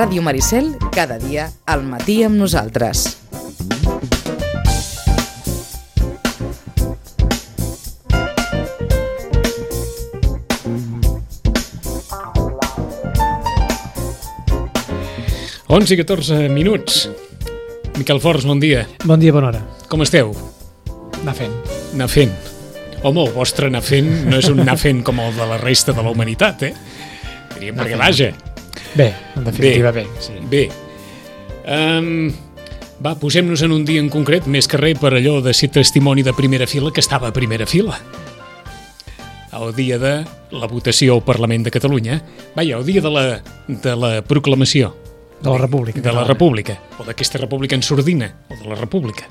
Ràdio Maricel, cada dia al matí amb nosaltres. Onze i 14 minuts. Miquel Forns, bon dia. Bon dia, bona hora. Com esteu? Anar fent. Anar fent. Home, el vostre anar fent no és un anar fent com el de la resta de la humanitat, Diríem perquè vaja. Bé, en definitiva bé. Sí. Bé. Va, posem-nos en un dia en concret, més que res per allò de ser testimoni de primera fila, que estava a primera fila. El dia de la votació al Parlament de Catalunya. Vaja, el dia de la proclamació. De la República. De la República, o d'aquesta República en sordina, o de la República,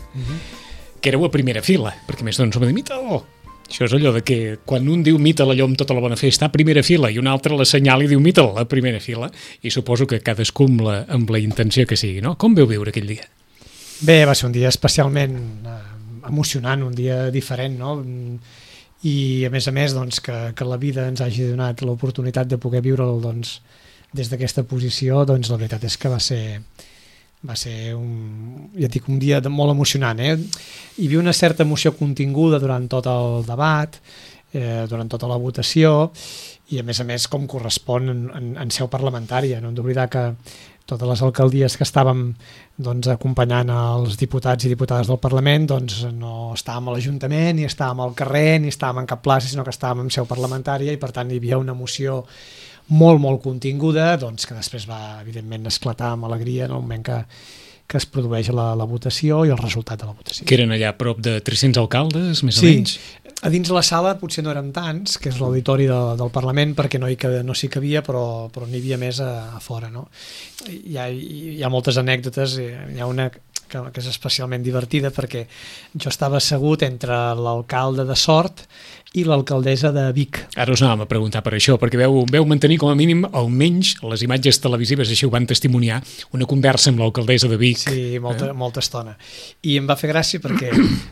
que éreu a primera fila, perquè més d'on som de mita-lo. Això és allò de que quan un diu mita-la allò amb tota la bona fe està a primera fila i un altre l'assenyala i diu mita-la a primera fila, i suposo que cadascú amb la intenció que sigui, no? Com veu viure aquell dia? Bé, va ser un dia especialment emocionant, un dia diferent, no? I a més, doncs, que la vida ens hagi donat l'oportunitat de poder viure'l, doncs, des d'aquesta posició, doncs la veritat és que va ser un dia molt emocionant. Hi havia una certa emoció continguda durant tot el debat, durant tota la votació, i a més com correspon en seu parlamentària. No hem d'oblidar que totes les alcaldies que estàvem doncs, acompanyant els diputats i diputades del Parlament doncs, no estàvem a l'Ajuntament, ni estàvem al carrer, ni estàvem en cap plaça, sinó que estàvem en seu parlamentària, i per tant hi havia una emoció molt continguda, doncs, que després va, evidentment, esclatar amb alegria en el moment que es produeix la votació i el resultat de la votació. Que eren allà a prop de 300 alcaldes, més o menys? Sí, a dins la sala potser no érem tants, que és l'auditori del Parlament, perquè no s'hi cabia, però n'hi havia més a fora. No? Hi ha moltes anècdotes, hi ha una que és especialment divertida, perquè jo estava assegut entre l'alcalde de Sort i l'alcaldessa de Vic. Ara us anàvem a preguntar per això, perquè veu mantenir com a mínim, almenys les imatges televisives així ho van testimoniar, una conversa amb l'alcaldessa de Vic. Sí, molta estona. I em va fer gràcia perquè,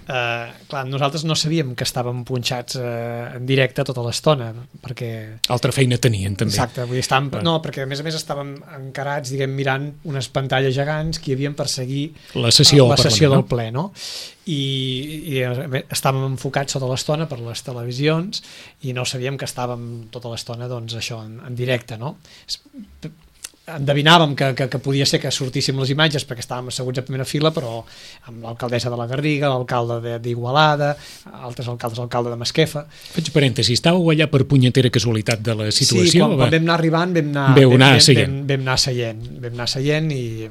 clar, nosaltres no sabíem que estàvem punxats en directe tota l'estona, perquè... Altra feina tenien, també. Exacte, vull dir, no, perquè a més estàvem encarats, mirant unes pantalles gegants que hi havien per seguir la sessió del ple, no? I estàvem enfocats tota l'estona per les televisions i no sabíem que estàvem tota l'estona doncs això en directe, no? Endevinàvem que podia ser que sortíssim les imatges perquè estàvem asseguts a primera fila, però amb l'alcaldessa de la Garriga, l'alcalde d'Igualada, altres alcaldes, l'alcalde de Masquefa. Faig parèntesi, estàveu allà per punyetera casualitat de la situació? Sí, quan vam anar arribant vam anar seient i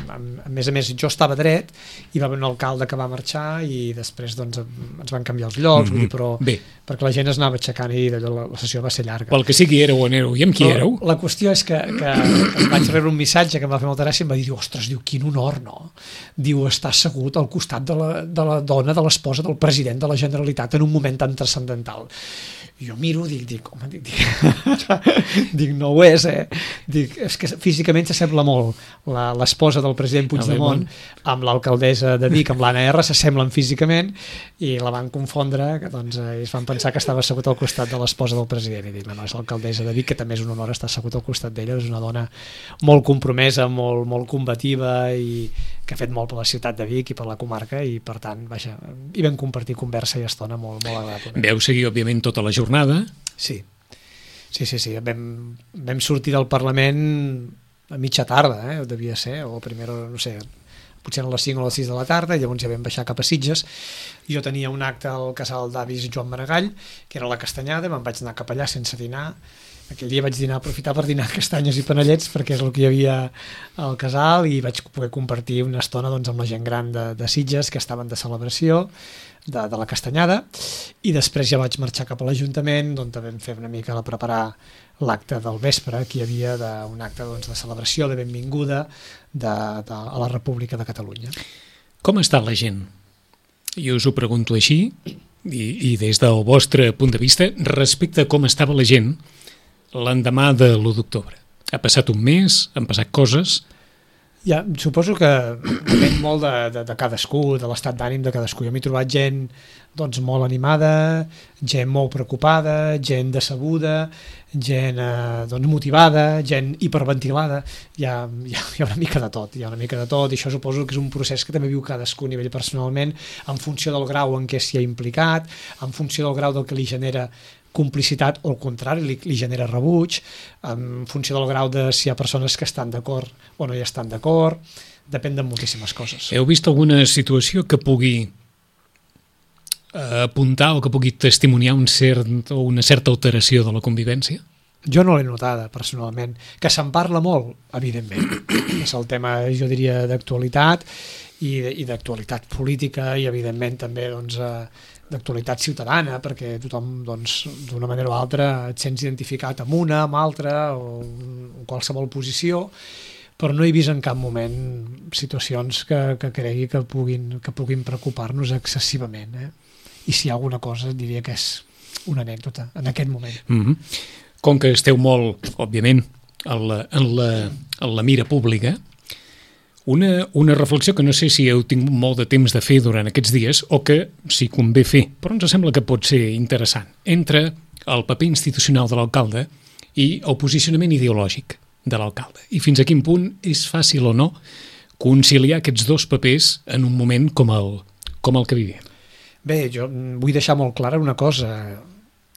a més jo estava dret i va haver un alcalde que va marxar i després doncs ens van canviar els llocs, vull dir, però perquè la gent es anava aixecant i la sessió va ser llarga. Pel que sigui, éreu on éreu i amb qui éreu? La qüestió és que vaig rebre un missatge que em va fer molta gràcia i em va dir, ostres, quin honor, no? Diu, està assegut al costat de la dona, de l'esposa del president de la Generalitat en un moment tan transcendental. I jo miro, dic, no ho és, Dic, és que físicament s'assembla molt l'esposa del president Puigdemont amb l'alcaldessa de Vic, amb l'Anna R, s'assemblen físicament i la van confondre, que doncs es van pensar que estava assegut al costat de l'esposa del president, i dic, no, és l'alcaldessa de Vic, que també és un honor estar assegut al costat d'ella, és una dona molt compromesa, molt combativa i que ha fet molt per la ciutat de Vic i per la comarca i per tant, vaja, hi vam compartir conversa i estona molt agradable. Veu seguir, òbviament, tota la jornada? Sí. Vam sortir del Parlament a mitja tarda, devia ser, o primera, no sé, potser a les 5 o les 6 de la tarda, i llavors ja vam baixar cap a Sitges. Jo tenia un acte al casal d'avis Joan Maragall, que era la Castanyada, me'n vaig anar cap allà sense dinar. Aquell dia vaig aprofitar per dinar castanyes i panellets perquè és el que hi havia al casal i vaig poder compartir una estona doncs, amb la gent gran de Sitges que estaven de celebració de la Castanyada, i després ja vaig marxar cap a l'Ajuntament on vam fer una mica preparar l'acte del vespre, que hi havia un acte doncs, de celebració, de benvinguda a la República de Catalunya. Com està la gent? Jo us ho pregunto així i des del vostre punt de vista respecte a com estava la gent l'endemà de l'1 d'octubre. Ha passat un mes, han passat coses. Ja, suposo que depèn molt de cadascú, de l'estat d'ànim de cadascú. Jo m'he trobat gent doncs, molt animada, gent molt preocupada, gent decebuda, gent doncs, motivada, gent hiperventilada. Hi ha una mica de tot, i això suposo que és un procés que també viu cadascú a nivell personalment, en funció del grau en què s'hi ha implicat, en funció del grau del que li genera complicitat o al contrari, li genera rebuig, en funció del grau de si hi ha persones que estan d'acord o no hi estan d'acord, depèn de moltíssimes coses. Heu vist alguna situació que pugui apuntar o que pugui testimoniar una certa alteració de la convivència? Jo no l'he notada, personalment. Que se'n parla molt, evidentment. És el tema, jo diria, d'actualitat i d'actualitat política i, evidentment, també doncs, d'actualitat ciutadana, perquè tothom, doncs, d'una manera o altra, et sents identificat amb una, amb altra, o en qualsevol posició, però no he vist en cap moment situacions que cregui que puguin preocupar-nos excessivament. I si hi ha alguna cosa, diria que és una anècdota en aquest moment. Mm-hmm. Com que esteu molt, òbviament, en la mira pública, una reflexió que no sé si heu tingut molt de temps de fer durant aquests dies o que si convé fer, però ens sembla que pot ser interessant, entre el paper institucional de l'alcalde i el posicionament ideològic de l'alcalde. I fins a quin punt és fàcil o no conciliar aquests dos papers en un moment com el que vivim. Bé, jo vull deixar molt clara una cosa,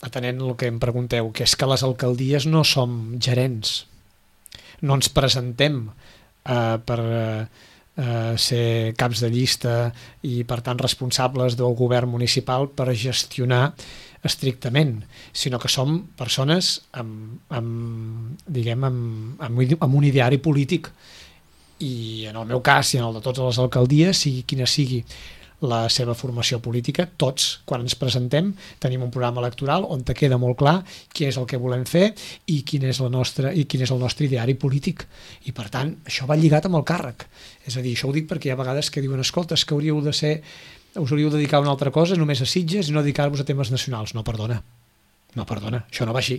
atenent el que em pregunteu, que és que les alcaldies no som gerents. No ens presentem per ser caps de llista i, per tant, responsables del govern municipal per gestionar estrictament, sinó que som persones amb un ideari polític. I en el meu cas i en el de totes les alcaldies, sigui quina sigui la seva formació política, tots, quan ens presentem, tenim un programa electoral on te queda molt clar què és el que volem fer i quin és el nostre ideari polític. I, per tant, això va lligat amb el càrrec. És a dir, això ho dic perquè hi ha vegades que diuen, escolta, és que us hauríeu de dedicar a una altra cosa, només a Sitges i no dedicar-vos a temes nacionals. No, perdona, això no va així.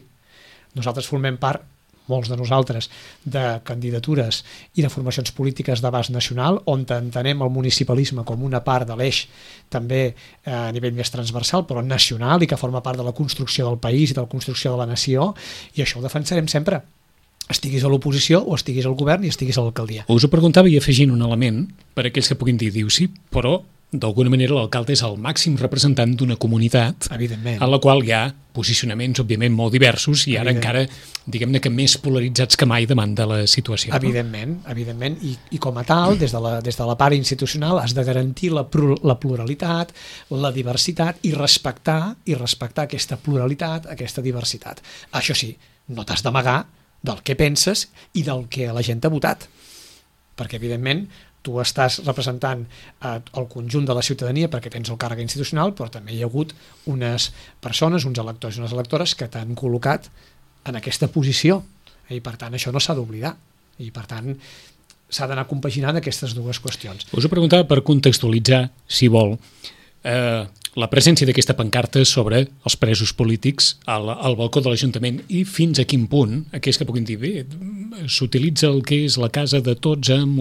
Nosaltres formem part, molts de nosaltres, de candidatures i de formacions polítiques d'abast nacional, on entenem el municipalisme com una part de l'eix també a nivell més transversal, però nacional, i que forma part de la construcció del país i de la construcció de la nació, i això ho defensarem sempre. Estiguis a l'oposició o estiguis al govern i estiguis a l'alcaldia. Us ho preguntava i afegint un element per a aquells que puguin dir, sí, però d'alguna manera l'alcalde és el màxim representant d'una comunitat en la qual hi ha posicionaments, òbviament, molt diversos i ara encara, diguem-ne que més polaritzats que mai davant de la situació. Evidentment. I com a tal, des de la part institucional has de garantir la pluralitat, la diversitat i respectar aquesta pluralitat, aquesta diversitat. Això sí, no t'has d'amagar del que penses i del que la gent ha votat. Perquè, evidentment, tu estàs representant el conjunt de la ciutadania perquè tens el càrrec institucional, però també hi ha hagut unes persones, uns electors i unes electores que t'han col·locat en aquesta posició. I, per tant, això no s'ha d'oblidar. I, per tant, s'ha d'anar compaginant aquestes dues qüestions. Us ho preguntava per contextualitzar, si vol, la presència d'aquesta pancarta sobre els presos polítics al balcó de l'Ajuntament i fins a quin punt, aquells que puguin dir, bé, s'utilitza el que és la casa de tots amb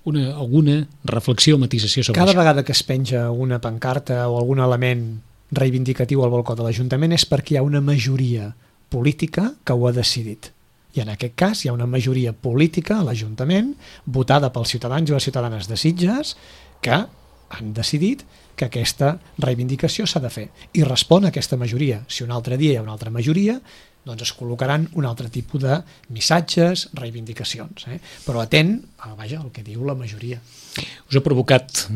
alguna reflexió o matisació sobre Cada això. vegada que es penja una pancarta o algun element reivindicatiu al balcó de l'Ajuntament és perquè hi ha una majoria política que ho ha decidit. I en aquest cas hi ha una majoria política a l'Ajuntament votada pels ciutadans i les ciutadanes de Sitges que han decidit que aquesta reivindicació s'ha de fer. I respon a aquesta majoria. Si un altre dia hi ha una altra majoria, doncs es col·locaran un altre tipus de missatges, reivindicacions. Però atent al que diu la majoria. Us ha provocat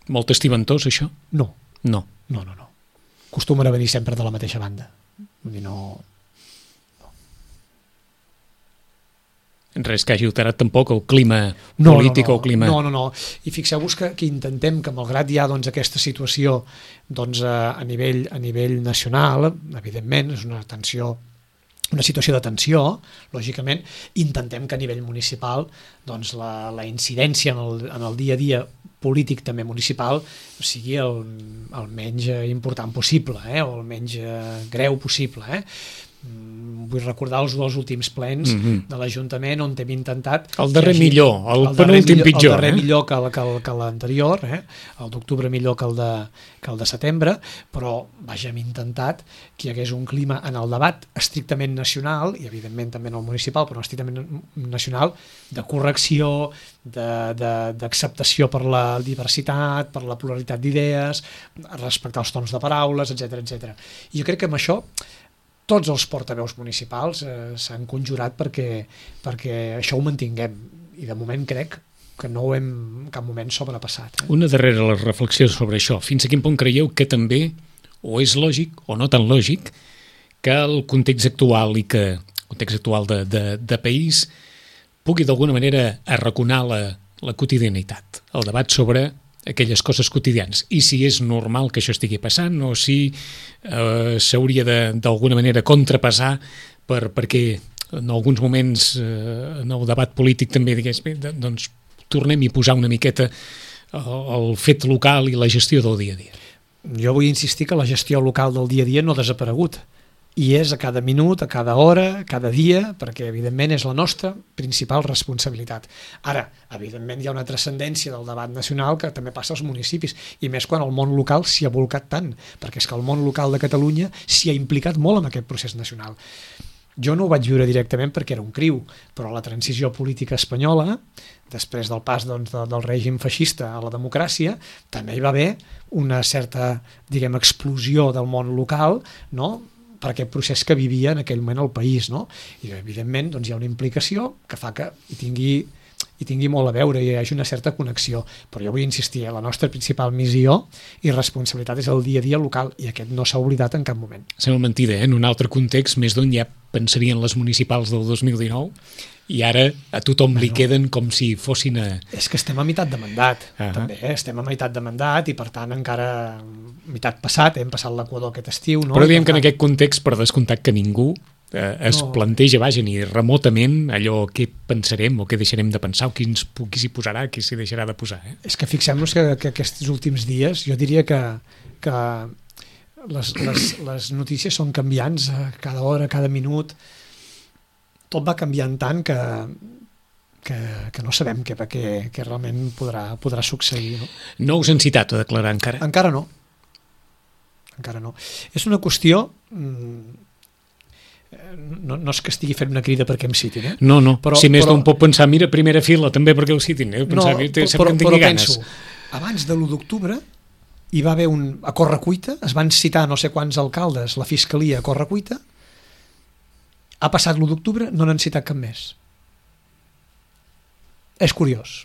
molt estiventós, això? No. No. Acostumen a venir sempre de la mateixa banda. Vull dir, no... Res que hagi alterat tampoc el clima polític o el clima... No. I fixeu-vos que intentem que, malgrat hi ha aquesta situació a nivell nacional, evidentment, és una situació de tensió, lògicament, intentem que a nivell municipal la incidència en el dia a dia polític també municipal sigui el menys important possible, o el menys greu possible. vull recordar els 2 últims plens de l'Ajuntament on hem intentat... El darrer millor, el penúltim pitjor. El darrer millor que l'anterior, el d'octubre millor que el de setembre, però vaja, hem intentat que hi hagués un clima en el debat estrictament nacional, i evidentment també en el municipal, però estrictament nacional, de correcció, d'acceptació per la diversitat, per la pluralitat d'idees, respectar els tons de paraules, etc. I jo crec que amb això tots els portaveus municipals s'han conjurat perquè això ho mantinguem, i de moment crec que no ho hem en cap moment sobrepassat. Una darrera reflexió sobre això. Fins a quin punt creieu que també, o és lògic o no tan lògic, que el context actual de país pugui d'alguna manera arraconar la quotidianitat, el debat sobre aquelles coses quotidianes, i si és normal que això estigui passant o si s'hauria d'alguna manera contrapesar perquè en alguns moments en el debat polític també digués, bé, doncs tornem-hi a posar una miqueta el fet local i la gestió del dia a dia. Jo vull insistir que la gestió local del dia a dia no ha desaparegut, i és a cada minut, a cada hora, cada dia, perquè evidentment és la nostra principal responsabilitat. Ara, evidentment hi ha una transcendència del debat nacional que també passa als municipis, i més quan el món local s'hi ha bolcat tant, perquè és que el món local de Catalunya s'hi ha implicat molt en aquest procés nacional. Jo no ho vaig viure directament perquè era un criu, però la transició política espanyola, després del pas del règim feixista a la democràcia, també hi va haver una certa, explosió del món local, no?, per aquest procés que vivia en aquell moment el país, no? I evidentment hi ha una implicació que fa que hi tingui molt a veure, i hi hagi una certa connexió, però jo vull insistir, la nostra principal missió i responsabilitat és el dia a dia local, i aquest no s'ha oblidat en cap moment. Sembla mentida, en un altre context, més d'on ja pensarien les municipals del 2019, i ara a tothom li queden com si fossin És que estem a meitat de mandat, també, estem a meitat de mandat, i per tant encara meitat passat, hem passat l'Equador aquest estiu, no? Però diem que en aquest context, per descomptat que ningú es planteja, vaja, ni remotament allò què pensarem o què deixarem de pensar o qui s'hi posarà, qui s'hi deixarà de posar. És que fixem-nos que aquests últims dies, jo diria que les notícies són canviants cada hora, cada minut, tot va canviant tant que no sabem què realment podrà succeir. No us han citat a declarar encara? Encara no. És una qüestió... No és que estigui fent una crida perquè em citin, No, però, si més d'un pot pensar, mira, primera fila, també perquè el citin. Però penso, abans de l'1 d'octubre hi va haver a correcuita, es van citar no sé quants alcaldes, la fiscalia a correcuita, ha passat l'1 d'octubre, no n'han citat cap més. És curiós,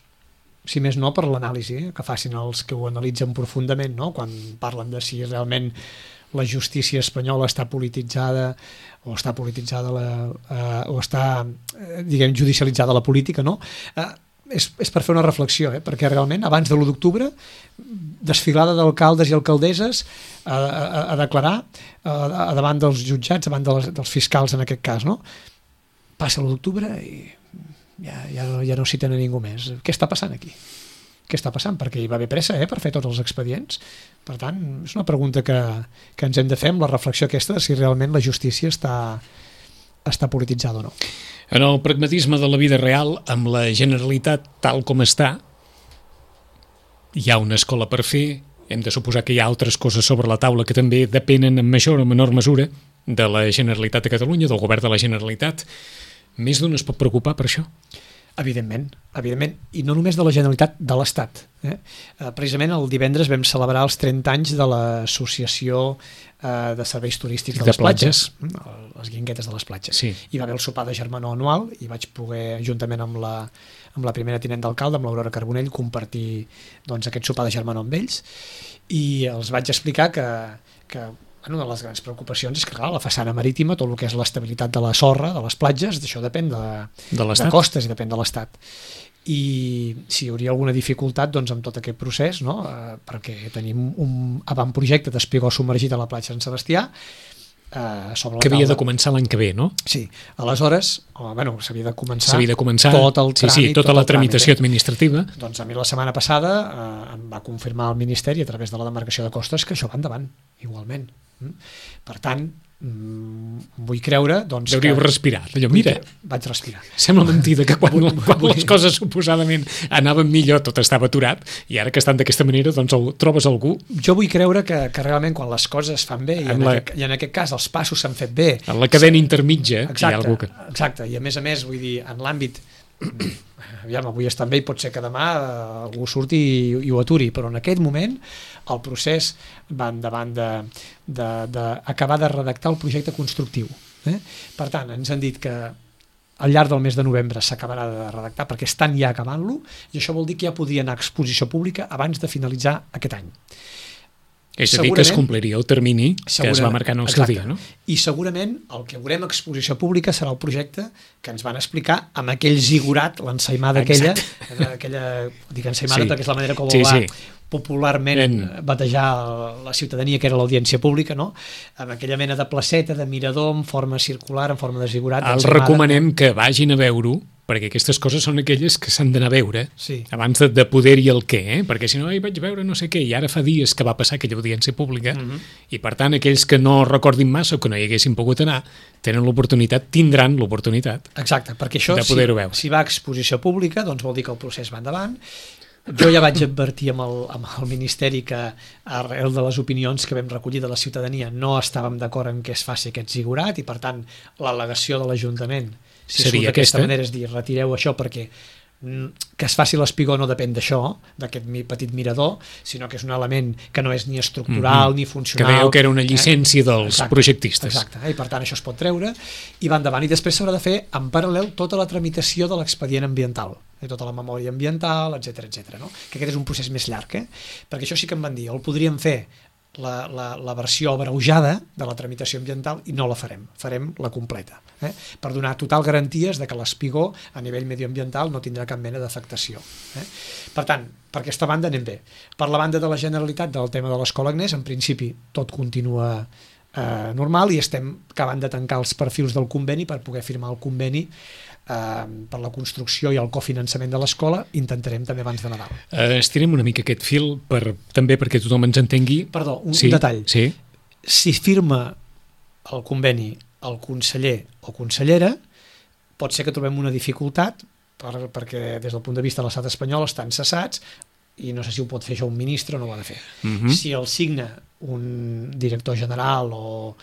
si més no per l'anàlisi que facin els que ho analitzen profundament, no? Quan parlen de si realment la justícia espanyola està polititzada o està judicialitzada la política, no? És per fer una reflexió, perquè realment abans de l'1 d'octubre desfilada d'alcaldes i alcaldesses a declarar davant dels jutjats, davant dels fiscals en aquest cas, no? Passa l'1 d'octubre i ja no citen a ningú més. Què està passant aquí? Què està passant? Perquè hi va haver pressa per fer tots els expedients. Per tant, és una pregunta que ens hem de fer amb la reflexió aquesta de si realment la justícia està polititzada o no. En el pragmatisme de la vida real, amb la Generalitat tal com està, hi ha una escola per fer, hem de suposar que hi ha altres coses sobre la taula que també depenen en major o menor mesura de la Generalitat de Catalunya, del govern de la Generalitat. Més d'un es pot preocupar per això? Evidentment, i no només de la Generalitat, de l'Estat. Precisament el divendres vam celebrar els 30 anys de l'Associació de Serveis Turístics de les Platges, les guinguetes de les platges. Sí. Hi va haver el sopar de germanor anual i vaig poder, juntament amb la primera tinent d'alcalde, amb l'Aurora Carbonell, compartir aquest sopar de germanor amb ells, i els vaig explicar que una de les grans preocupacions és que, clar, la façana marítima, tot el que és l'estabilitat de la sorra, de les platges, d'això depèn de costes i depèn de l'Estat. I si hi hauria alguna dificultat amb tot aquest procés, no? Perquè tenim un avantprojecte d'espigó submergit a la platja de Sant Sebastià, sobre la que havia de començar l'any que ve, no? Sí, aleshores, s'havia de començar tot el tràmit, tota la tramitació administrativa. Doncs a mi la setmana passada em va confirmar el Ministeri a través de la demarcació de costes que això va endavant, igualment. Per tant, vull creure doncs, Hauríeu respirat, allò, mira, vaig respirar. sembla mentida que quan les coses suposadament anaven millor tot estava aturat, i ara que estan d'aquesta manera doncs trobes algú. Jo vull creure que realment quan les coses es fan bé, i en aquest cas els passos s'han fet bé, en la cadena intermitja hi ha algú que... Exacte, i a més, vull dir, en l'àmbit aviam, avui estan bé i pot ser que demà algú surti i ho aturi, però en aquest moment el procés va endavant d'acabar de redactar el projecte constructiu. Per tant, ens han dit que al llarg del mes de novembre s'acabarà de redactar perquè estan ja acabant-lo, i això vol dir que ja podria anar a exposició pública abans de finalitzar aquest any. És a dir, que es compliria el termini que es va marcar en el seu dia, no? I segurament el que veurem a exposició pública serà el projecte que ens van explicar amb aquell zigurat, l'ensaïmada aquella, dic ensaïmada perquè és la manera com va popularment batejar la ciutadania, que era l'audiència pública, no? Amb aquella mena de placeta, de mirador en forma circular, en forma de zigurat. Els recomanem que vagin a veure-ho, perquè aquestes coses són aquelles que s'han d'anar a veure abans de poder-hi el què, perquè si no, vaig veure no sé què, i ara fa dies que va passar aquella audiència pública, i per tant aquells que no recordin massa o que no hi haguessin pogut anar, tenen l'oportunitat, tindran l'oportunitat de poder-ho veure. Si va a exposició pública, doncs vol dir que el procés va endavant. Jo ja vaig advertir amb el Ministeri que arrel de les opinions que vam recollir de la ciutadania no estàvem d'acord en què es faci aquest zigurat, i per tant l'al·legació de l'Ajuntament si surt d'aquesta manera és dir, retireu això perquè que es faci l'espigó no depèn d'això, d'aquest petit mirador, sinó que és un element que no és ni estructural ni funcional. Que veieu que era una llicència dels projectistes. Exacte, i per tant això es pot treure i va endavant. I després s'haurà de fer en paral·lel tota la tramitació de l'expedient ambiental, tota la memòria ambiental, etc, no? Que aquest és un procés més llarg, perquè això sí que em van dir, el podríem fer la versió abreujada de la tramitació ambiental i no la farem la completa, per donar total garanties de que l'espigó a nivell mediambiental no tindrà cap mena d'afectació. Per tant, per aquesta banda anem bé. Per la banda de la Generalitat del tema de l'Escola Agnès, en principi tot continua normal i estem acabant de tancar els perfils del conveni per poder firmar el conveni per la construcció i el cofinançament de l'escola. Intentarem també abans de Nadal. Estirem una mica aquest fil també perquè tothom ens entengui. Perdó, un detall. Si firma el conveni el conseller o consellera, pot ser que trobem una dificultat perquè des del punt de vista de l'estat espanyol estan cessats i no sé si ho pot fer això un ministre o no ho ha de fer. Si el signa un director general o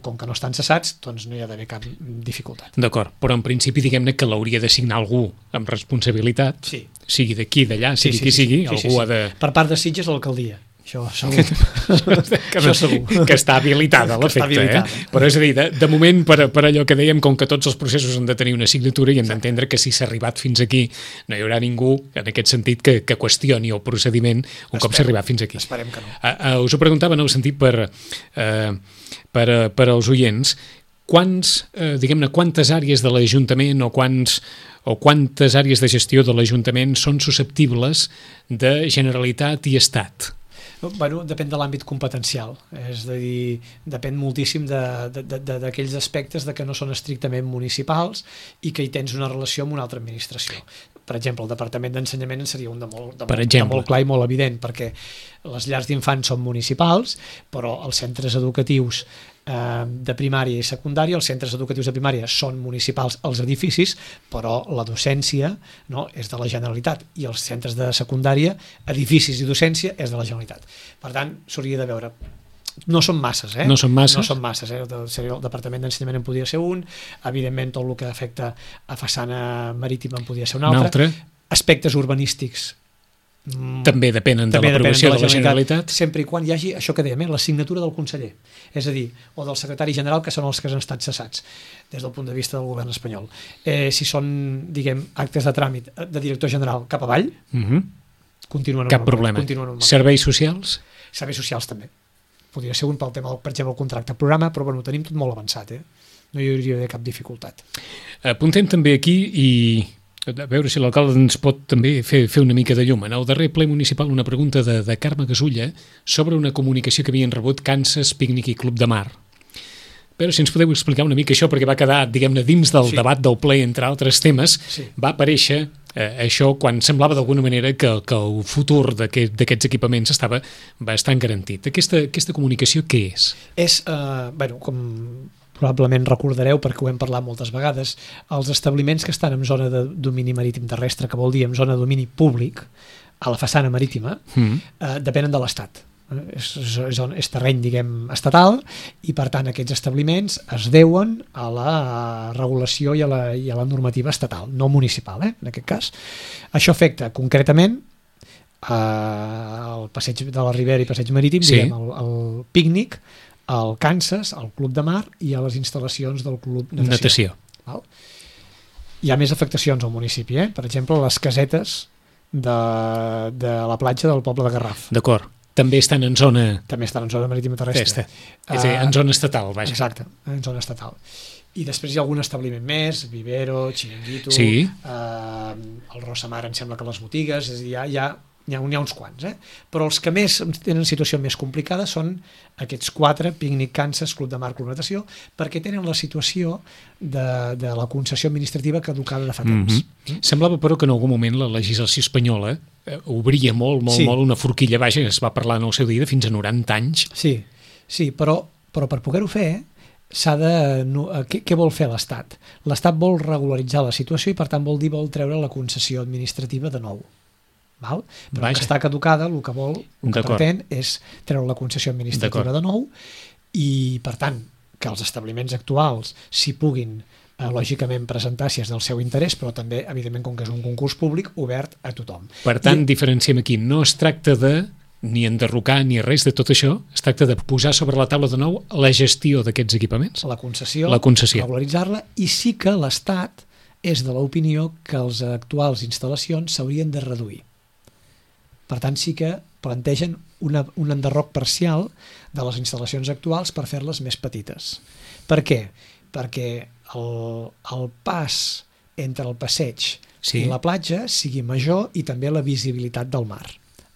com que no estan cessats, doncs no hi ha d'haver cap dificultat. D'acord, però en principi diguem-ne que l'hauria de signar algú amb responsabilitat, sigui d'aquí, d'allà, sigui qui sigui, algú ha de... Per part de Sitges, l'alcaldia. Això segur. Que està habilitada a l'efecte, però és a dir, de moment per allò que dèiem, com que tots els processos han de tenir una signatura i hem d'entendre que si s'ha arribat fins aquí no hi haurà ningú en aquest sentit que qüestioni el procediment un cop s'ha arribat fins aquí. Esperem que no. Us ho preguntava en el sentit per als oients, quantes àrees de l'Ajuntament o quantes àrees de gestió de l'Ajuntament són susceptibles de Generalitat i Estat? Bueno, depèn de l'àmbit competencial, és a dir, depèn moltíssim d'aquells aspectes de que no són estrictament municipals i que hi tens una relació amb una altra administració. Per exemple, el Departament d'Ensenyament en seria un de molt clar i molt evident, perquè les llars d'infants són municipals, però els centres educatius de primària i secundària, els centres educatius de primària són municipals als edificis, però la docència és de la Generalitat i els centres de secundària, edificis i docència és de la Generalitat. Per tant, s'hauria de veure. No són masses, No són masses. El Departament d'Ensenyament en podria ser un, evidentment tot el que afecta a façana marítima en podria ser un altre. Aspectes urbanístics també depenen de l'aprovació de la Generalitat, sempre i quan hi hagi això que dèiem, la signatura del conseller, és a dir, o del secretari general, que són els que han estat cessats des del punt de vista del govern espanyol. Si són, diguem, actes de tràmit de director general cap avall, continuen cap problema. Serveis socials? Serveis socials també. Podria ser un pel tema, per exemple, el contracte programa, però bueno, ho tenim tot molt avançat, no hi hauria d'haver cap dificultat. Apuntem també aquí i a veure si l'alcalde ens pot també fer una mica de llum. En el darrer ple municipal una pregunta de Carme Gasulla sobre una comunicació que havien rebut Kansas Pícnic i Club de Mar. Però si ens podeu explicar una mica això, perquè va quedar, diguem-ne, dins del debat del ple, entre altres temes, va aparèixer això quan semblava d'alguna manera que el futur d'aquests equipaments estava bastant garantit. Aquesta comunicació què és? És, com probablement recordareu, perquè ho hem parlat moltes vegades, els establiments que estan en zona de domini marítim terrestre, que vol dir en zona de domini públic, a la façana marítima, depenen de l'Estat. És terreny, diguem, estatal, i per tant aquests establiments es deuen a la regulació i a la normativa estatal, no municipal, en aquest cas. Això afecta concretament el passeig de la Ribera i passeig marítim, diguem, el pícnic, el Kansas, el Club de Mar i a les instal·lacions del Club Natació. Val? Hi ha més afectacions al municipi, per exemple, les casetes de la platja del poble de Garraf. D'acord. També estan en zona... També estan en zona marítima terrestre. És a dir, en zona estatal, vaja. Exacte, en zona estatal. I després hi ha algun establiment més, Vivero, Chiringuito, sí. El Rosamar, em sembla que les botigues, és a dir, hi ha uns quants, però els que més tenen situació més complicada són aquests 4, Pícnic, Kansas, Club de Mar, Club Natació, perquè tenen la situació de la concessió administrativa caducada de fa temps. Semblava, però, que en algun moment la legislació espanyola obria molt una forquilla, vaja, es va parlar en el seu dia de fins a 90 anys. Sí, però per poder-ho fer, què vol fer l'Estat? L'Estat vol regularitzar la situació i, per tant, vol treure la concessió administrativa de nou. Val? Però que està caducada, el que pretén és treure la concessió administrativa de nou i, per tant, que els establiments actuals s'hi puguin lògicament presentar si és del seu interès, però també, evidentment, com que és un concurs públic, obert a tothom. Per tant, diferenciem aquí, no es tracta de ni enderrocar ni res de tot això, es tracta de posar sobre la taula de nou la gestió d'aquests equipaments. La concessió. Regularitzar-la, i sí que l'Estat és de l'opinió que les actuals instal·lacions s'haurien de reduir. Per tant, sí que plantegen un enderroc parcial de les instal·lacions actuals per fer-les més petites. Per què? Perquè el pas entre el passeig i la platja sigui major i també la visibilitat del mar.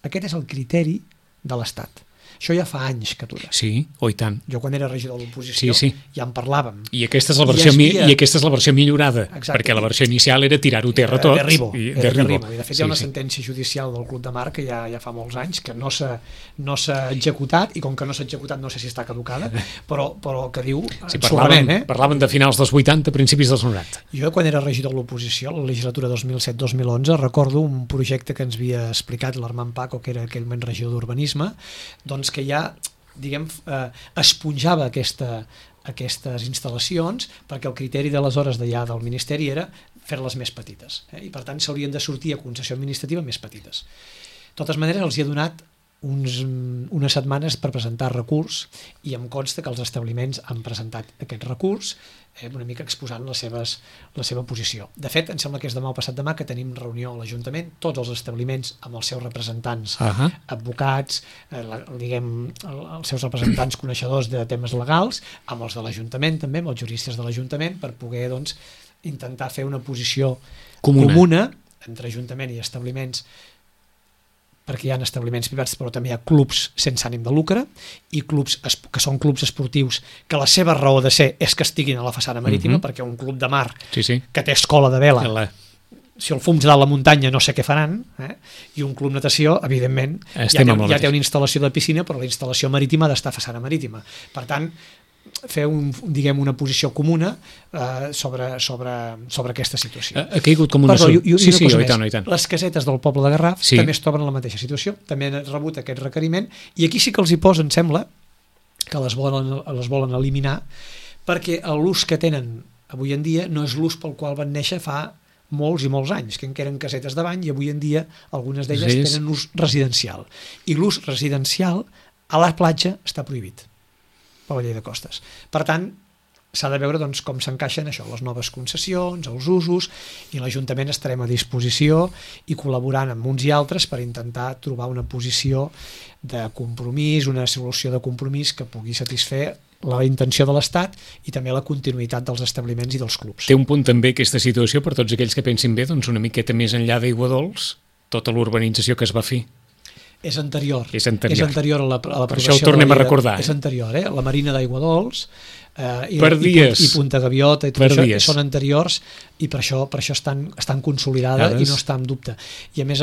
Aquest és el criteri de l'Estat. Això ja fa anys que dura. Sí, i tant. Jo quan era regidor de l'oposició ja en parlàvem. I aquesta és la versió millorada, perquè la versió inicial era tirar-ho terra tot. I de fet hi ha una sentència judicial del Club de Mar que ja fa molts anys que no s'ha executat, i com que no s'ha executat no sé si està caducada, però que diu parlaven de finals dels 80, principis dels 90. Jo quan era regidor de l'oposició, la legislatura 2007-2011, recordo un projecte que ens havia explicat l'Armand Paco, que era aquell moment regidor d'urbanisme, doncs que ja, diguem, esponjava aquestes instal·lacions, perquè el criteri d'aleshores d'allà del Ministeri era fer-les més petites, i per tant s'haurien de sortir a concessió administrativa més petites. De totes maneres, els hi ha donat unes setmanes per presentar recurs, i em consta que els establiments han presentat aquest recurs, una mica exposant la seva posició. De fet, em sembla que és demà o passat demà que tenim reunió a l'Ajuntament, tots els establiments amb els seus representants, advocats, els seus representants coneixedors de temes legals, amb els de l'Ajuntament també, amb els juristes de l'Ajuntament, per poder intentar fer una posició comuna entre Ajuntament i establiments, perquè hi ha establiments privats, però també hi ha clubs sense ànim de lucre i clubs que són clubs esportius que la seva raó de ser és que estiguin a la façana marítima, perquè un club de mar que té escola de vela, si el fums dalt la muntanya no sé què faran, i un club natació, evidentment, ja té una instal·lació de piscina, però la instal·lació marítima ha d'estar a façana marítima. Per tant, fer una posició comuna sobre aquesta situació. Ha caigut com una Les casetes del poble de Garraf també es troben en la mateixa situació, també han rebut aquest requeriment, i aquí sí que els hi posa, em sembla, que les volen eliminar, perquè l'ús que tenen avui en dia no és l'ús pel qual van néixer fa molts i molts anys, que eren casetes de bany, i avui en dia algunes d'elles tenen ús residencial. I l'ús residencial a la platja està prohibit per la llei de costes. Per tant, s'ha de veure com s'encaixen les noves concessions, els usos, i l'Ajuntament estarem a disposició i col·laborant amb uns i altres per intentar trobar una posició de compromís, una solució de compromís que pugui satisfer la intenció de l'Estat i també la continuïtat dels establiments i dels clubs. Té un punt també aquesta situació, per tots aquells que pensin bé, una miqueta més enllà d'Aigua Dols, tota l'urbanització que es va fer. És anterior. És anterior A l'aprovació. Per això ho tornem a recordar. És anterior, la Marina d'Aigua Dols i Punta Gaviota i tot això són anteriors i per això estan consolidades i no està en dubte. I a més,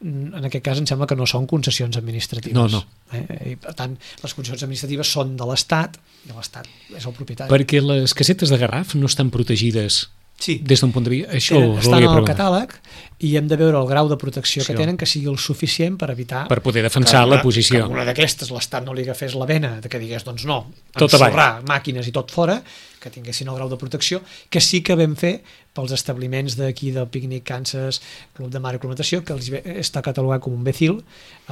en aquest cas em sembla que no són concessions administratives. No. I per tant, les concessions administratives són de l'Estat i l'Estat és el propietari. Perquè les casetes de Garraf no estan protegides. Sí. Des d'un punt de vista, això estan al catàleg i hem de veure el grau de protecció que tenen, que sigui el suficient per evitar... Per poder defensar la posició. Que una d'aquestes l'Estat no li agafés la vena, que digués, doncs no, tot ensorrar màquines i tot fora, que tinguessin el grau de protecció, que sí que vam fer pels establiments d'aquí del Pícnic, Kansas, Club de Mar i Club de Natació, que està catalogat com un BCIL,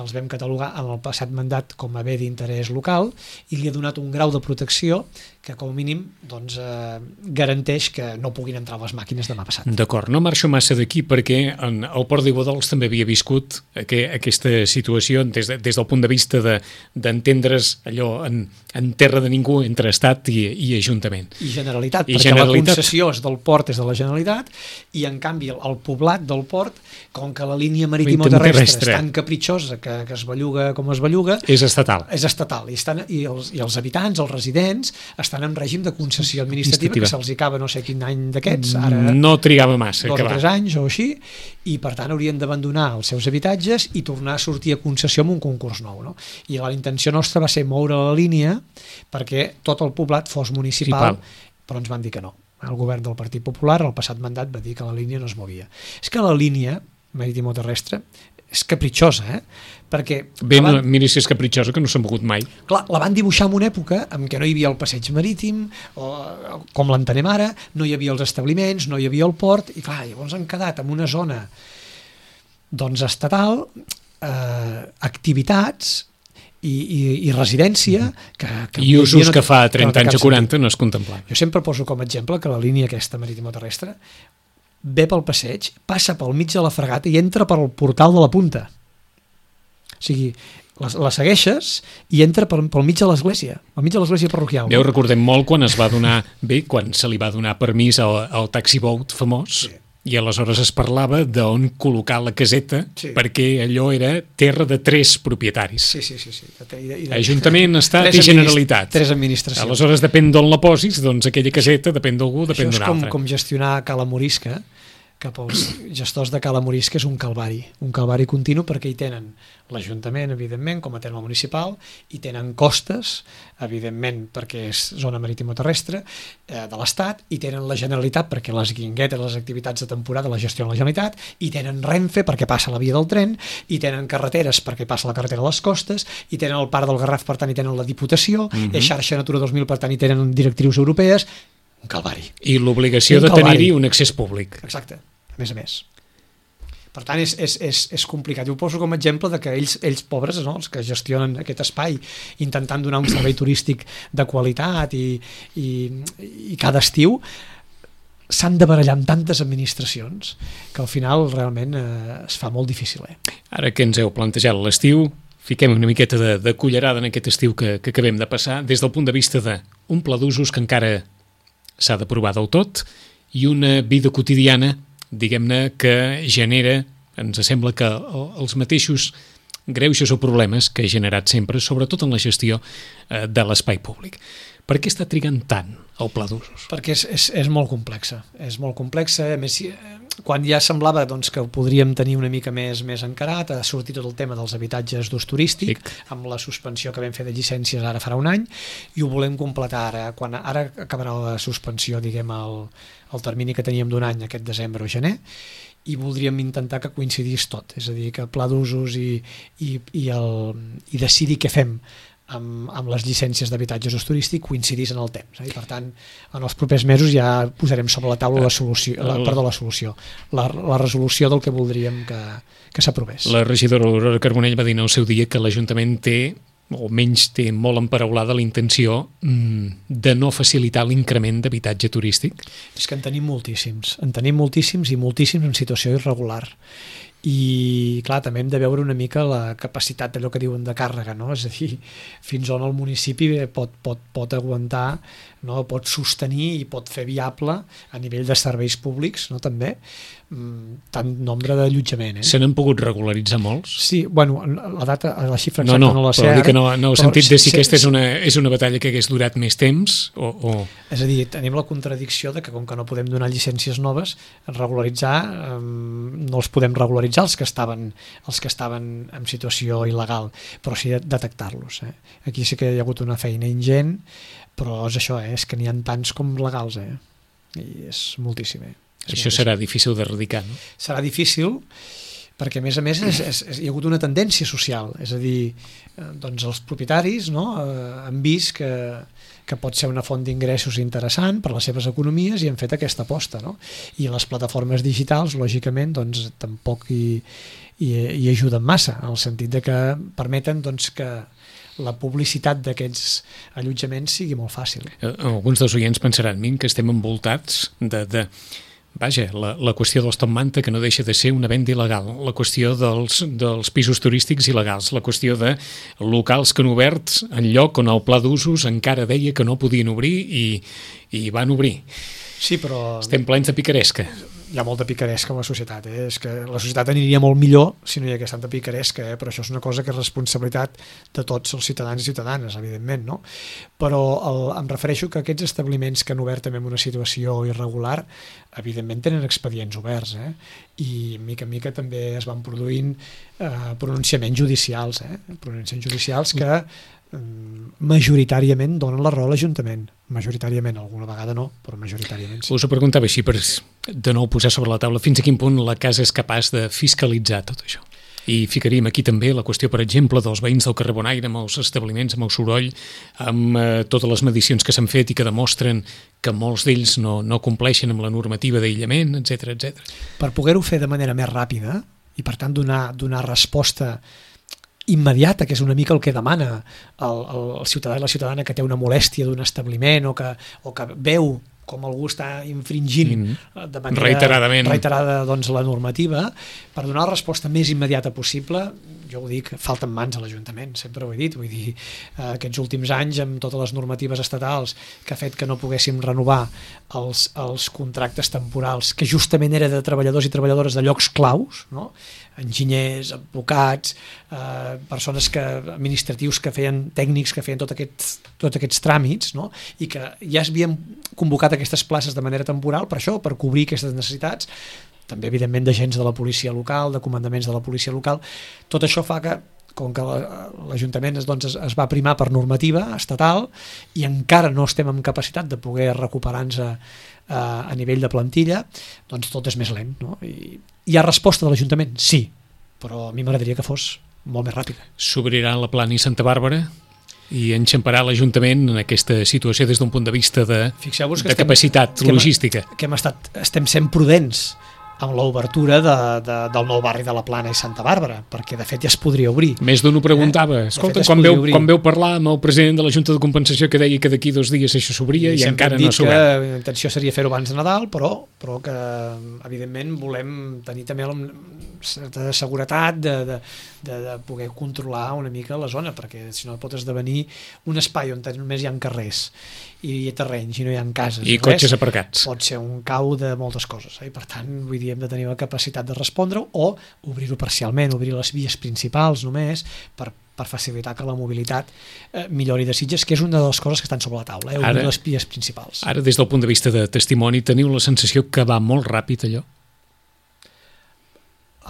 els vam catalogar en el passat mandat com a bé d'interès local i li ha donat un grau de protecció que com a mínim garanteix que no puguin entrar les màquines demà passat. D'acord, no marxo massa d'aquí perquè el Port d'Aigua Dols també havia viscut aquesta situació des del punt de vista d'entendre's allò en terra de ningú entre Estat i Ajuntament. I Generalitat, perquè la concessió del port és de la Generalitat i en canvi el poblat del port, com que la línia marítima-terrestre és tan capritxosa que es belluga com es belluga, és estatal. És estatal i els habitants, els residents, estan en règim de concessió administrativa que se'ls acaba no sé quin any d'aquests, ara no trigava massa 2 o 3 anys o així, i per tant haurien d'abandonar els seus habitatges i tornar a sortir a concessió amb un concurs nou, no? I la intenció nostra va ser moure la línia perquè tot el poblat fos municipal. Però ens van dir que no. El govern del Partit Popular el passat mandat va dir que la línia no es movia. És que la línia marítima-terrestre és capritxosa, perquè... Mira si és capritxosa, que no s'ha mogut mai. Clar, la van dibuixar en una època en què no hi havia el passeig marítim, com l'entenem ara, no hi havia els establiments, no hi havia el port, i clar, llavors han quedat en una zona estatal, activitats i residència i usos que fa 30 anys o 40 no es contemplaven. Jo sempre poso com a exemple que la línia aquesta marítima-terrestre ve pel passeig, passa pel mig de la fregata i entra pel portal de la punta. O sigui, la segueixes i entra pel mig de l'església, al mig de l'església parroquial. Ja ho recordem molt quan quan se li va donar permís al taxiboat famós, i aleshores es parlava d'on col·locar la caseta perquè allò era terra de 3 propietaris. Sí. Ajuntament, Estat i Generalitat. 3 administracions. Aleshores, depèn d'on la posis, doncs aquella caseta depèn d'algú, depèn d'un altre. Això és com gestionar Cala Morisca, que pels gestors de Cala Morisca és un calvari continu, perquè hi tenen l'Ajuntament, evidentment, com a terme municipal, i tenen costes, evidentment, perquè és zona marítima-terrestre de l'Estat, i tenen la Generalitat, perquè les guinguetes, les activitats de temporada les gestiona la Generalitat, i tenen Renfe, perquè passa la via del tren, i tenen carreteres, perquè passa la carretera a les costes, i tenen el Parc del Garraf, per tant, i tenen la Diputació, és xarxa Natura 2000, per tant, i tenen directrius europees, un calvari. I l'obligació de tenir-hi un accés públic. Exacte, a més. Per tant, és complicat. Jo ho poso com a exemple de que ells pobres, no? Els que gestionen aquest espai, intentant donar un servei turístic de qualitat i cada estiu, s'han de barallar amb tantes administracions que al final realment es fa molt difícil. Ara que ens heu plantejat l'estiu, fiquem una miqueta de cullerada en aquest estiu que acabem de passar, des del punt de vista d'un pla d'usos que encara s'ha de provar del tot i una vida quotidiana, diguem-ne, que genera, ens sembla que els mateixos greuges o problemes que ha generat sempre, sobretot en la gestió de l'espai públic. Per què està trigant tant el pla d'usos? Perquè és molt complexa. És molt complexa. A més, quan ja semblava que ho podríem tenir una mica més encarat, ha sortit tot el tema dels habitatges d'ús turístic, amb la suspensió que vam fer de llicències ara farà un any, i ho volem completar ara. Ara acabarà la suspensió, diguem, el termini que teníem d'un any, aquest desembre o gener, i voldríem intentar que coincidís tot. És a dir, que el pla d'usos i decidir què fem amb les llicències d'habitatges d'ús turístic coincidís en el temps. I per tant, en els propers mesos ja posarem sobre la taula la resolució del que voldríem que s'aprovés. La regidora Aurora Carbonell va dir en el seu dia que l'Ajuntament té, o menys té molt emparaulada la intenció de no facilitar l'increment d'habitatge turístic. És que en tenim moltíssims i moltíssims en situació irregular. I clar, també hem de veure una mica la capacitat d'allò que diuen de càrrega, no? És a dir, fins on el municipi pot aguantar, no? Pot sostenir i pot fer viable a nivell de serveis públics, no? També, tant nombre d'allotjament. Se n'han pogut regularitzar molts? Sí, bueno, la xifra exacta no la sé però ara. Dic que no heu sentit de si aquesta és una batalla que hagués durat més temps o... És a dir, tenim la contradicció de que com que no podem donar llicències noves, regularitzar, no els podem regularitzar els que estaven en situació il·legal, però sí detectar-los. Aquí sí que hi ha hagut una feina ingent, però és això, és que n'hi ha tants com legals, i és moltíssim. Això serà difícil d'erradicar, no? Serà difícil perquè, a més, hi ha hagut una tendència social, és a dir, doncs els propietaris han vist que pot ser una font d'ingressos interessant per les seves economies i han fet aquesta aposta, no? I les plataformes digitals, lògicament, doncs tampoc hi ajuden massa, en el sentit de que permeten doncs, que la publicitat d'aquests allotjaments sigui molt fàcil. Alguns dels oients pensaran, que estem envoltats de vaja, la qüestió dels top manta, que no deixa de ser una venda il·legal, la qüestió dels pisos turístics il·legals, la qüestió de locals que han obert en lloc on el pla d'usos encara deia que no podien obrir i van obrir. Sí, però... Estem plens de picaresca. Hi ha molta picaresca en la societat. És que la societat aniria molt millor si no hi hagués tanta picaresca, però això és una cosa que és responsabilitat de tots els ciutadans i ciutadanes, evidentment, no? Però em refereixo que aquests establiments que han obert també en una situació irregular, evidentment tenen expedients oberts, i mica en mica també es van produint pronunciaments judicials, pronunciaments judicials que majoritàriament donen la raó a l'Ajuntament. Majoritàriament, alguna vegada no, però majoritàriament sí. Us ho preguntava així per de nou posar sobre la taula fins a quin punt la casa és capaç de fiscalitzar tot això. I ficaríem aquí també la qüestió, per exemple, dels veïns del carrer Bonaire, amb els establiments, amb el soroll, amb totes les medicions que s'han fet i que demostren que molts d'ells no compleixen amb la normativa d'aïllament, etc. Per poder-ho fer de manera més ràpida i, per tant, donar resposta immediata, que és una mica el que demana el ciutadà i la ciutadana que té una molèstia d'un establiment o que veu com algú està infringint de manera reiterada doncs, la normativa, per donar la resposta més immediata possible, jo ho dic, falten mans a l'Ajuntament, sempre ho he dit, vull dir, aquests últims anys amb totes les normatives estatals que ha fet que no poguéssim renovar els contractes temporals, que justament era de treballadors i treballadores de llocs claus, no? Enginyers, advocats, persones administratius que feien, tècnics que feien tots aquests tràmits, no? I que ja s'havien convocat aquestes places de manera temporal per això, per cobrir aquestes necessitats, també evidentment d'agents de la policia local, de comandaments de la policia local. Tot això fa que, com que l'Ajuntament doncs, es va primar per normativa estatal i encara no estem en capacitat de poder recuperar-nos a nivell de plantilla, doncs tot és més lent, no? I hi ha resposta de l'Ajuntament? Sí, però a mi m'agradaria que fos molt més ràpida. S'obrirà la Plana i Santa Bàrbara i enxamparà l'Ajuntament en aquesta situació des d'un punt de vista de capacitat logística. Estem sent prudents amb l'obertura del nou barri de la Plana i Santa Bàrbara, perquè de fet ja es podria obrir. Més d'un ho preguntava. Escolta, quan veu parlar amb el president de la Junta de Compensació que deia que d'aquí 2 dies això s'obria i encara no s'ha obert. La intenció seria fer-ho abans de Nadal, però que evidentment volem tenir també certa seguretat de poder controlar una mica la zona, perquè si no pot esdevenir un espai on només hi ha carrers i terrenys i no hi ha cases i cotxes aparcats. Pot ser un cau de moltes coses, i per tant vull dir, hem de tenir la capacitat de respondre o obrir-ho parcialment, obrir les vies principals només per facilitar que la mobilitat millori de Sitges, que és una de les coses que estan sobre la taula, obrir les vies principals. Ara, des del punt de vista de testimoni, teniu la sensació que va molt ràpid allò?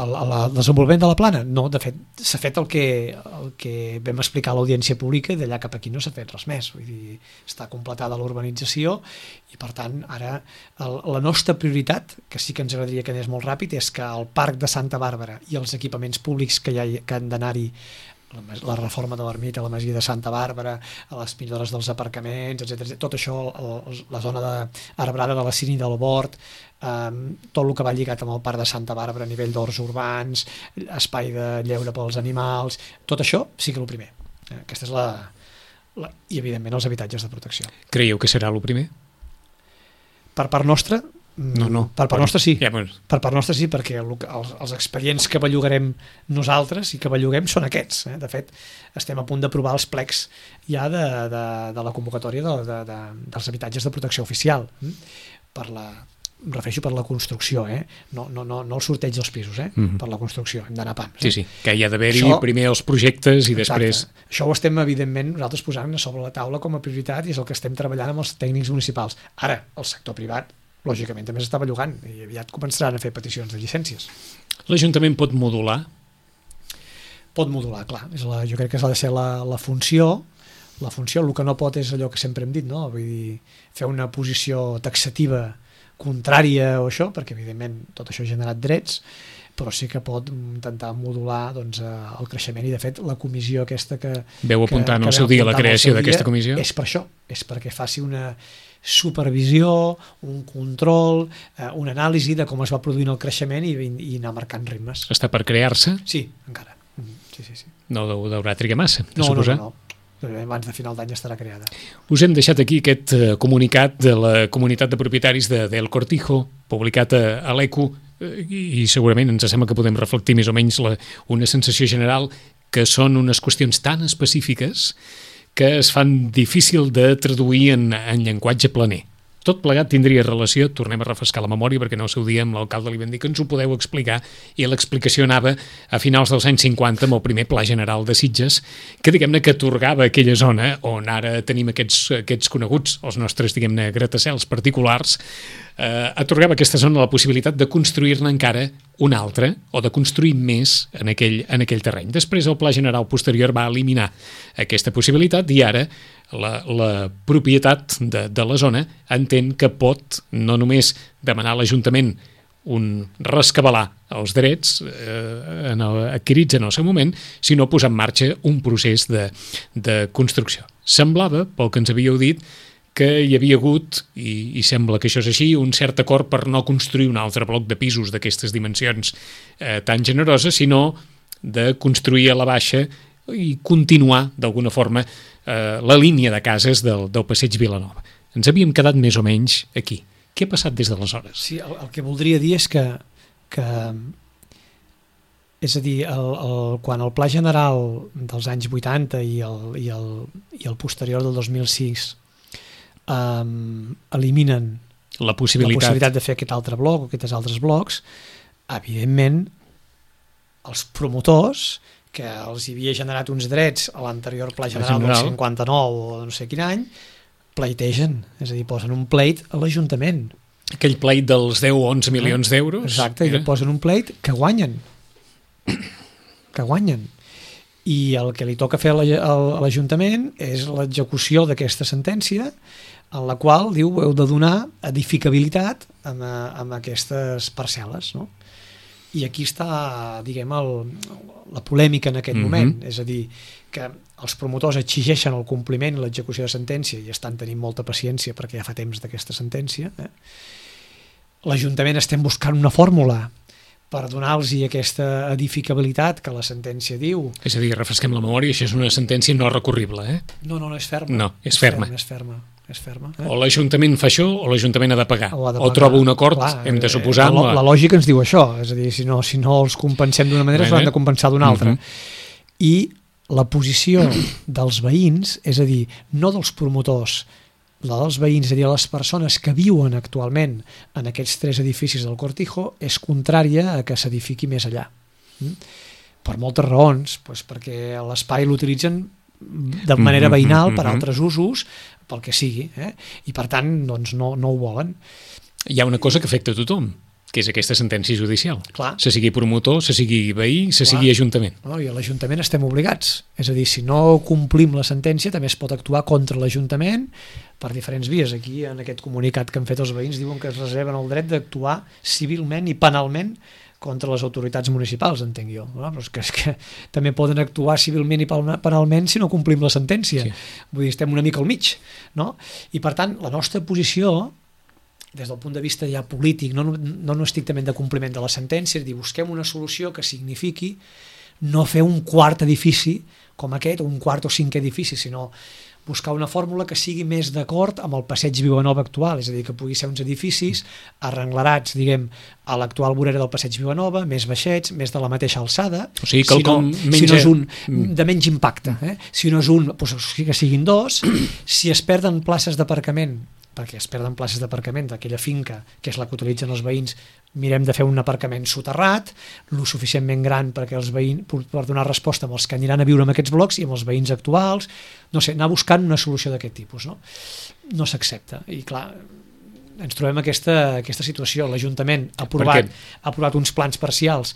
El desenvolupament de la Plana? No, de fet, s'ha fet el que vam explicar a l'audiència pública i d'allà cap aquí no s'ha fet res més. Vull dir, està completada l'urbanització i, per tant, ara la nostra prioritat, que sí que ens agradaria que anés molt ràpid, és que el Parc de Santa Bàrbara i els equipaments públics que han d'anar-hi, la reforma de l'ermita, la masia de Santa Bàrbara, les millores dels aparcaments, etc. Tot això, la zona arbrada de la Cine del Bord, tot el que va lligat amb el Parc de Santa Bàrbara a nivell d'horts urbans, espai de lleure pels animals, tot això sí que és el primer. Aquesta és i evidentment els habitatges de protecció. Creieu que serà el primer? Per part nostra? No. Per part nostra sí. Ja, bueno. Per part nostra sí, perquè els expedients que bellugarem nosaltres i que belluguem són aquests. De fet, estem a punt d'aprovar els plecs ja de la convocatòria dels habitatges de protecció oficial per em refereixo per la construcció, no el sorteig dels pisos, per la construcció, hem d'anar pams. Sí, que hi ha d'haver-hi primer els projectes i després... Això ho estem, evidentment, nosaltres posant sobre la taula com a prioritat i és el que estem treballant amb els tècnics municipals. Ara, el sector privat, lògicament, també s'està bellugant i aviat començaran a fer peticions de llicències. L'Ajuntament pot modular? Pot modular, clar. Jo crec que ha de ser la funció. La funció, el que no pot és allò que sempre hem dit, no? Vull dir, fer una posició taxativa contrària o això, perquè evidentment tot això ha generat drets, però sí que pot intentar modular doncs, el creixement, i de fet la comissió aquesta que... Veu apuntar en el seu dia la creació d'aquesta comissió? És per això, és perquè faci una supervisió, un control, una anàlisi de com es va produint el creixement i anar marcant ritmes. Està per crear-se? Sí, encara. Sí. No deurà trigar massa, de no, suposar? No. Abans de final d'any estarà creada. Us hem deixat aquí aquest comunicat de la comunitat de propietaris del Cortijo, publicat a l'ECU, i segurament ens sembla que podem reflectir més o menys una sensació general, que són unes qüestions tan específiques que es fan difícil de traduir en llenguatge planer. Tot plegat tindria relació, tornem a refrescar la memòria perquè no el seu dia amb l'alcalde li vam dir que ens ho podeu explicar, i l'explicació anava a finals dels anys 50 amb el primer Pla General de Sitges, que diguem-ne que atorgava aquella zona on ara tenim aquests coneguts, els nostres diguem-ne gratacels particulars, atorgava aquesta zona la possibilitat de construir-ne encara una altra o de construir més en aquell terreny. Després el Pla General posterior va eliminar aquesta possibilitat i ara la propietat de la zona entén que pot no només demanar a l'Ajuntament rescabalar els drets adquirits en el seu moment, sinó posar en marxa un procés de construcció. Semblava, pel que ens havíeu dit, que hi havia hagut, i sembla que això és així, un cert acord per no construir un altre bloc de pisos d'aquestes dimensions tan generoses, sinó de construir a la baixa i continuar, d'alguna forma, la línia de cases del Passeig Vilanova. Ens havíem quedat més o menys aquí. Què ha passat des d'aleshores? Sí, el que voldria dir és que és a dir, quan el Pla General dels anys 80 i el posterior del 2006 eliminen la possibilitat de fer aquest altre bloc o aquests altres blocs, evidentment els promotors, que els havia generat uns drets a l'anterior Pla General del 59 o no sé quin any, pleitegen, és a dir, posen un pleit a l'Ajuntament. Aquell pleit dels 10 o 11 milions d'euros? Exacte, i posen un pleit que guanyen. I el que li toca fer a l'Ajuntament és l'execució d'aquesta sentència, en la qual diu heu de donar edificabilitat amb aquestes parcel·les, no? I aquí està, diguem, la polèmica en aquest moment, és a dir, que els promotors exigeixen el compliment i l'execució de sentència i estan tenint molta paciència perquè ja fa temps d'aquesta sentència. L'Ajuntament estem buscant una fórmula per donar-los aquesta edificabilitat que la sentència diu. És a dir, refresquem la memòria, això és una sentència no recurrible, No, és ferma. No, és ferma. És ferma. O l'Ajuntament fa això o l'Ajuntament ha de pagar. O troba un acord, clar, hem de suposar... La lògica ens diu això, és a dir, si no els compensem d'una manera, s'han de compensar d'una altra. I la posició dels veïns, és a dir, no dels promotors, la dels veïns, és a dir, les persones que viuen actualment en aquests 3 edificis del Cortijo, és contrària a que s'edifiqui més allà. Per moltes raons, perquè l'espai l'utilitzen de manera veïnal per altres usos, pel que sigui, i per tant doncs no ho volen. Hi ha una cosa que afecta a tothom, que és aquesta sentència judicial. Clar. Se sigui promotor, se sigui veí, se sigui ajuntament. I a l'Ajuntament estem obligats. És a dir, si no complim la sentència també es pot actuar contra l'Ajuntament per diferents vies. Aquí, en aquest comunicat que han fet els veïns, diuen que es reserven el dret d'actuar civilment i penalment contra les autoritats municipals, entenc jo. Però és que també poden actuar civilment i penalment si no complim la sentència. Sí. Vull dir, estem una mica al mig. No? I per tant, la nostra posició, des del punt de vista ja polític, no estrictament de compliment de la sentència, és dir, busquem una solució que signifiqui no fer un quart edifici com aquest, o un quart o cinquè edifici, sinó buscar una fórmula que sigui més d'acord amb el Passeig Vilanova actual, és a dir, que pugui ser uns edificis arrenglerats, diguem, a l'actual vorera del Passeig Vilanova, més baixets, més de la mateixa alçada, o sigui, si no és un de menys impacte, si no és un, doncs que siguin 2, si es perden places d'aparcament, perquè es perden places d'aparcament d'aquella finca, que és la que utilitzen els veïns, mirem de fer un aparcament soterrat, lo suficientment gran perquè els veïns, per donar resposta amb els que aniran a viure en aquests blocs i amb els veïns actuals, no sé, anar buscant una solució d'aquest tipus, no? No s'accepta, i clar, ens trobem aquesta situació. L'Ajuntament ha aprovat uns plans parcials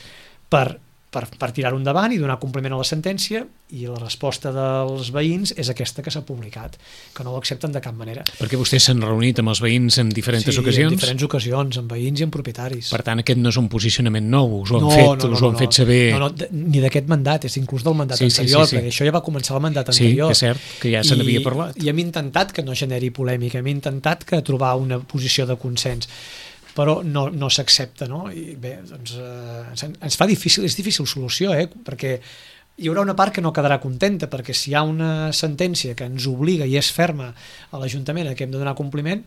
per tirar-ho endavant i donar compliment a la sentència, i la resposta dels veïns és aquesta que s'ha publicat, que no ho accepten de cap manera. Perquè vostès s'han reunit amb els veïns en diferents ocasions? Sí, en diferents ocasions, amb veïns i amb propietaris. Per tant, aquest no és un posicionament nou, us ho han fet saber... No, ni d'aquest mandat, és inclús del mandat anterior, perquè això ja va començar el mandat anterior. Sí, és cert, que ja se n'havia parlat. I hem intentat que no generi polèmica, hem intentat que trobar una posició de consens, però no s'accepta, no? I bé, doncs ens fa difícil, és difícil solució, perquè hi haurà una part que no quedarà contenta, perquè si hi ha una sentència que ens obliga i és ferma a l'Ajuntament a que hem de donar compliment,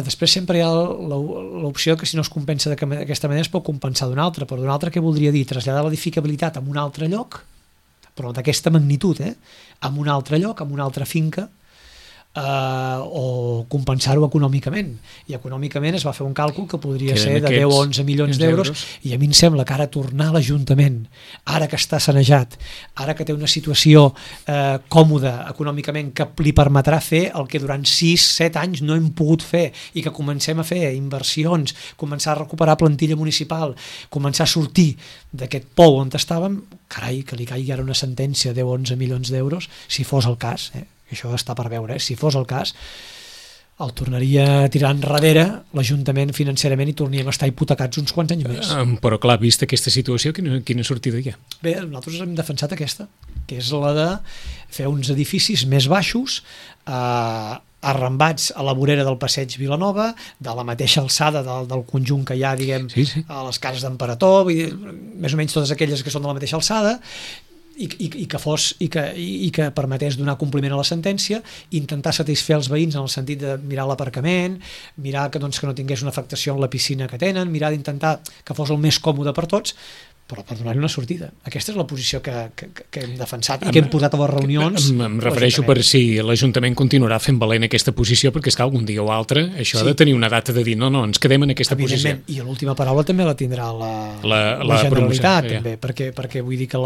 després sempre hi ha l'opció que si no es compensa d'aquesta manera es pot compensar d'una altra, però d'una altra què voldria dir? Traslladar l'edificabilitat a un altre lloc, però d'aquesta magnitud, a un altre lloc, a una altra finca, o compensar-ho econòmicament, i econòmicament es va fer un càlcul que podria ser de 10 o 11 milions d'euros, i a mi em sembla que ara tornar a l'Ajuntament, ara que està sanejat, ara que té una situació còmoda econòmicament, que li permetrà fer el que durant 6-7 anys no hem pogut fer, i que comencem a fer inversions, començar a recuperar plantilla municipal, començar a sortir d'aquest pou on estàvem, carai, que li caigui ara una sentència de 10 o 11 milions d'euros, si fos el cas, això està per veure, si fos el cas el tornaria a tirar enrere l'Ajuntament financerament i tornaríem a estar hipotecats uns quants anys més. Però clar, vista aquesta situació, quina sortida hi ha? Bé, nosaltres hem defensat aquesta, que és la de fer uns edificis més baixos, arrambats a la vorera del passeig Vilanova, de la mateixa alçada del conjunt que hi ha, diguem, a les cases d'Emperador, més o menys totes aquelles que són de la mateixa alçada, i que permetés donar compliment a la sentència, intentar satisfer els veïns en el sentit de mirar l'aparcament, mirar que no tingués una afectació en la piscina que tenen, mirar d'intentar que fos el més còmode per tots, però per donar-hi una sortida. Aquesta és la posició que hem defensat i que hem posat a les reunions. Em refereixo per si l'Ajuntament continuarà fent valent aquesta posició, perquè és que algun dia o altre això ha de tenir una data de dir no, ens quedem en aquesta posició. I l'última paraula també la tindrà la Generalitat, també, perquè vull dir que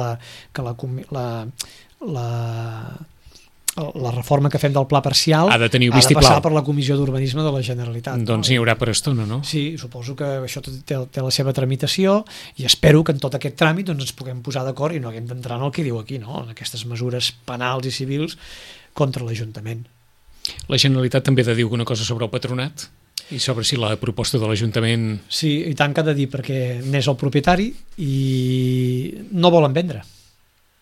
la reforma que fem del pla parcial ha de passar per la Comissió d'Urbanisme de la Generalitat. Doncs n'hi haurà per estona, no? Sí, suposo que això té la seva tramitació, i espero que en tot aquest tràmit ens puguem posar d'acord i no haguem d'entrar en el que diu aquí, no? En aquestes mesures penals i civils contra l'Ajuntament. La Generalitat també ha de dir alguna cosa sobre el patronat i sobre si la proposta de l'Ajuntament... Sí, i tant que ha de dir, perquè n'és el propietari i no volen vendre.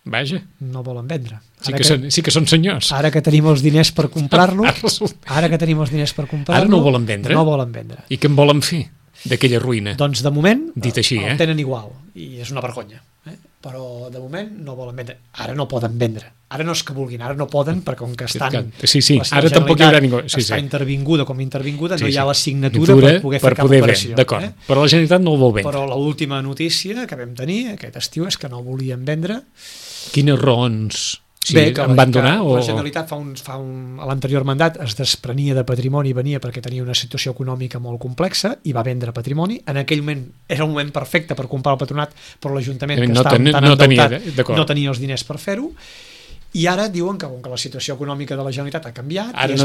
Vaja. No volen vendre. Sí que són senyors. Ara que tenim els diners per comprar-lo, ara no volen vendre. No volen vendre. I què en volen fer d'aquella ruïna? Doncs de moment dit així, el tenen igual, i és una vergonya. Però de moment no volen vendre. Ara no poden vendre. Ara no és que vulguin, ara no poden, perquè com que estan... Sí, ara tampoc hi haurà ningú. Està intervinguda com intervinguda, no hi ha la signatura per poder fer cap operació. D'acord, però la Generalitat no el vol vendre. Però l'última notícia que vam tenir aquest estiu és que no volien vendre. Quines raons em van donar? La Generalitat a l'anterior mandat es desprenia de patrimoni, venia perquè tenia una situació econòmica molt complexa i va vendre patrimoni. En aquell moment era un moment perfecte per comprar el patronat, però l'Ajuntament, que estava tan endeutat, no tenia els diners per fer-ho. I ara diuen que, com que la situació econòmica de la Generalitat ha canviat, ara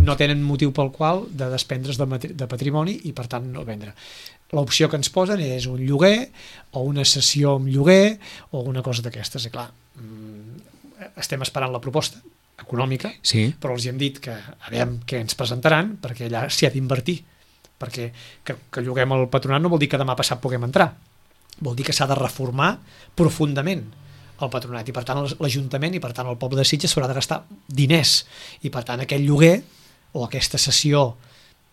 no tenen motiu pel qual de despendre's de patrimoni i per tant no vendre. L'opció que ens posen és un lloguer o una cessió amb lloguer o alguna cosa d'aquestes. I clar, estem esperant la proposta econòmica, però els hem dit que a veure què ens presentaran, perquè allà s'hi ha d'invertir, perquè que lloguem el patronat no vol dir que demà passat puguem entrar, vol dir que s'ha de reformar profundament el patronat, i per tant l'Ajuntament i per tant el poble de Sitges s'haurà de gastar diners, i per tant aquest lloguer o aquesta cessió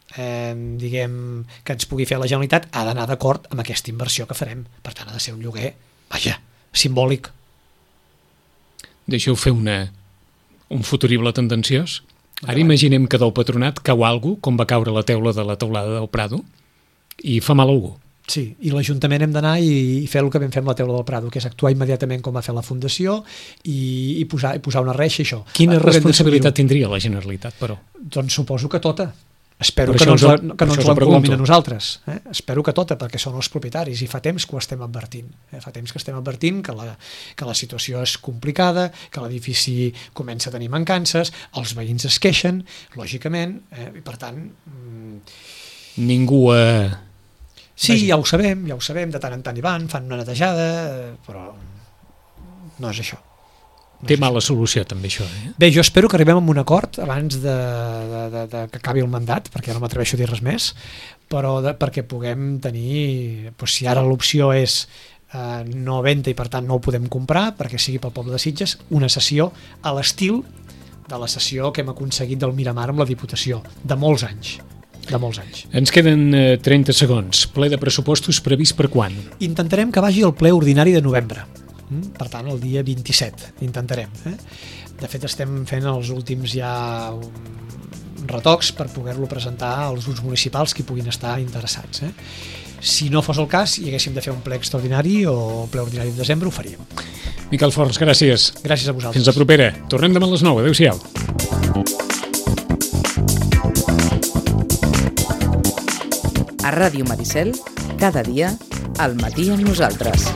diguem que ens pugui fer la Generalitat ha d'anar d'acord amb aquesta inversió que farem. Per tant ha de ser un lloguer, simbòlic. Deixeu fer un futurible tendenciós. Ara imaginem que del patronat cau algú, com va caure la teula de la teulada del Prado, i fa mal a algú. Sí, i l'Ajuntament hem d'anar i fer el que vam fer amb la teula del Prado, que és actuar immediatament com va fer la Fundació i posar una reixa, això. Quina responsabilitat tindria la Generalitat, però? Doncs suposo que tota. Espero Per que això no ens per això us ho l'encolomin pregunto. a nosaltres. Espero que tota, perquè són els propietaris, i fa temps que ho estem advertint. Fa temps que estem advertint que la situació és complicada, que l'edifici comença a tenir mancances, els veïns es queixen, lògicament, i per tant... Ningú... Sí, ja ho sabem, de tant en tant hi van, fan una netejada, però no és això. Té mala solució, també, això. Bé, jo espero que arribem a un acord abans de que acabi el mandat, perquè no m'atreveixo a dir res més, però perquè puguem tenir, doncs, si ara l'opció és no venda i per tant no ho podem comprar, perquè sigui pel poble de Sitges, una sessió a l'estil de la sessió que hem aconseguit del Miramar amb la Diputació, de molts anys. Ens queden 30 segons. Ple de pressupostos previst per quan? Intentarem que vagi al ple ordinari de novembre. Per tant, el dia 27 intentarem. De fet, estem fent els últims ja retocs per poder-lo presentar als grups municipals que puguin estar interessats. Si no fos el cas i haguéssim de fer un ple extraordinari o ple ordinari de desembre, ho faríem. Miquel Forns, gràcies. Gràcies a vosaltres. Fins la propera. Tornem demà a les 9. Adéu-siau. A Ràdio Maricel, cada dia, al matí amb nosaltres.